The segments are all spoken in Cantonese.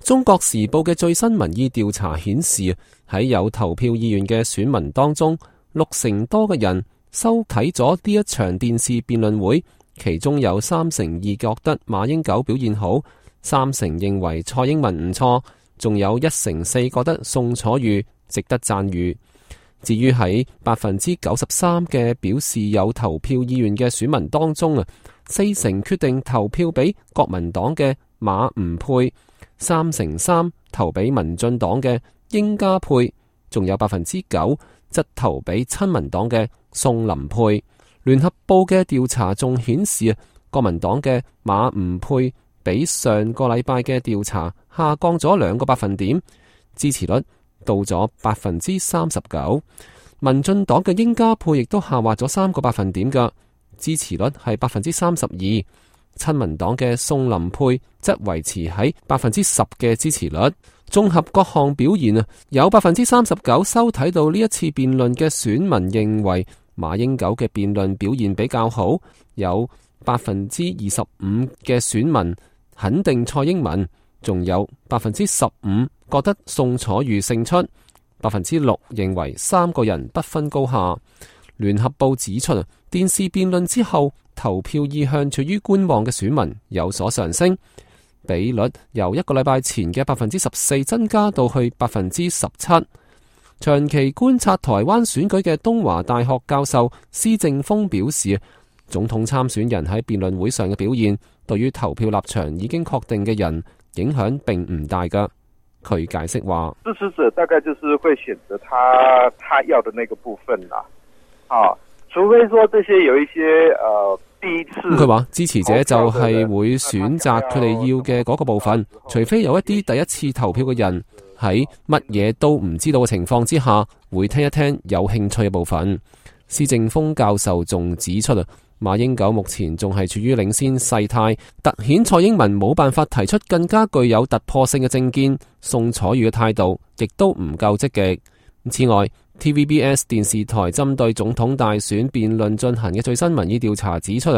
中國時報嘅最新民意調查顯示，喺有投票意願嘅選民當中，60%多嘅人收睇咗呢一場電視辯論會，其中有32%覺得馬英九表現好，3%認為蔡英文唔錯，仲有1%覺得宋楚瑜值得讚譽。至於喺93%嘅表示有投票意願嘅選民當中，4%決定投票俾國民黨嘅馬吳佩，3%投俾民進黨嘅英家佩，仲有9%則投俾親民黨嘅宋林佩。聯合報嘅調查仲顯示國民黨嘅馬吳佩比上個禮拜嘅調查下降咗2個百分點，支持率到咗39%。民進黨嘅英家佩亦都下滑咗3個百分點嘅，支持率係32%。親民黨嘅宋林佩則維持喺10%嘅支持率。綜合各項表現有39%收睇到呢一次辯論嘅選民認為馬英九嘅辯論表現比較好，有25%嘅選民肯定蔡英文，仲有15%覺得宋楚瑜勝出，6%認為3個人不分高下。聯合報指出，電視辯論之後投票意向處於觀望嘅選民有所上升，比率由1個禮拜前嘅14%增加到去17%。長期觀察台灣選舉嘅東華大學教授施正峰表示，總統參選人喺辯論會上嘅表現，對於投票立場已經確定嘅人影響並唔大噶。佢解釋話，支持者大概就是會選擇他要的那個部分啦。除非說這些有一些第一次。佢話支持者就係會選擇佢哋要嘅嗰個部分，除非有一啲第一次投票嘅人喺乜嘢都唔知道嘅情況之下，會聽一聽有興趣嘅部分。施正峰教授仲指出馬英九目前仲係處於領先勢態，凸顯蔡英文冇辦法提出更加具有突破性嘅政見。宋楚瑜嘅態度亦都唔夠積極。此外，TVBS 電視台針對總統大選辯論進行嘅最新民意調查指出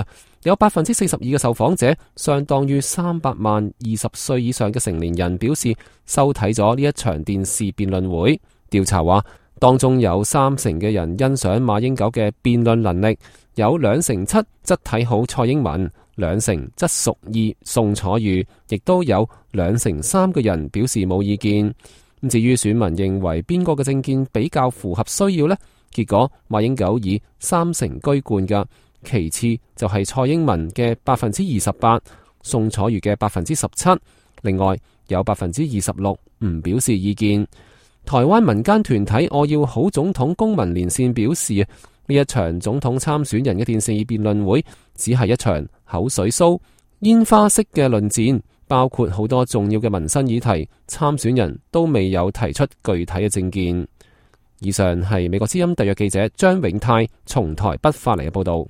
有42%嘅受訪者，相當於300萬20歲以上嘅成年人表示收睇咗呢一場電視辯論會。調查話，當中有30%嘅人欣賞馬英九嘅辯論能力，有27%則睇好蔡英文，2%則屬意宋楚瑜，亦都有3%嘅人表示冇意見。至於選民認為邊個嘅政見比較符合需要呢？結果馬英九以30%居冠嘅，其次就係蔡英文嘅28%，宋楚瑜嘅17%，另外有26%唔表示意見。台灣民間團體我要好總統公民連線表示，呢一場總統參選人嘅電視辯論會只係一場口水騷、煙花式嘅論戰，包括好多重要嘅民生議題，參選人都未有提出具體嘅政見。以上係美國之音特約記者張永泰從台北發嚟嘅報道。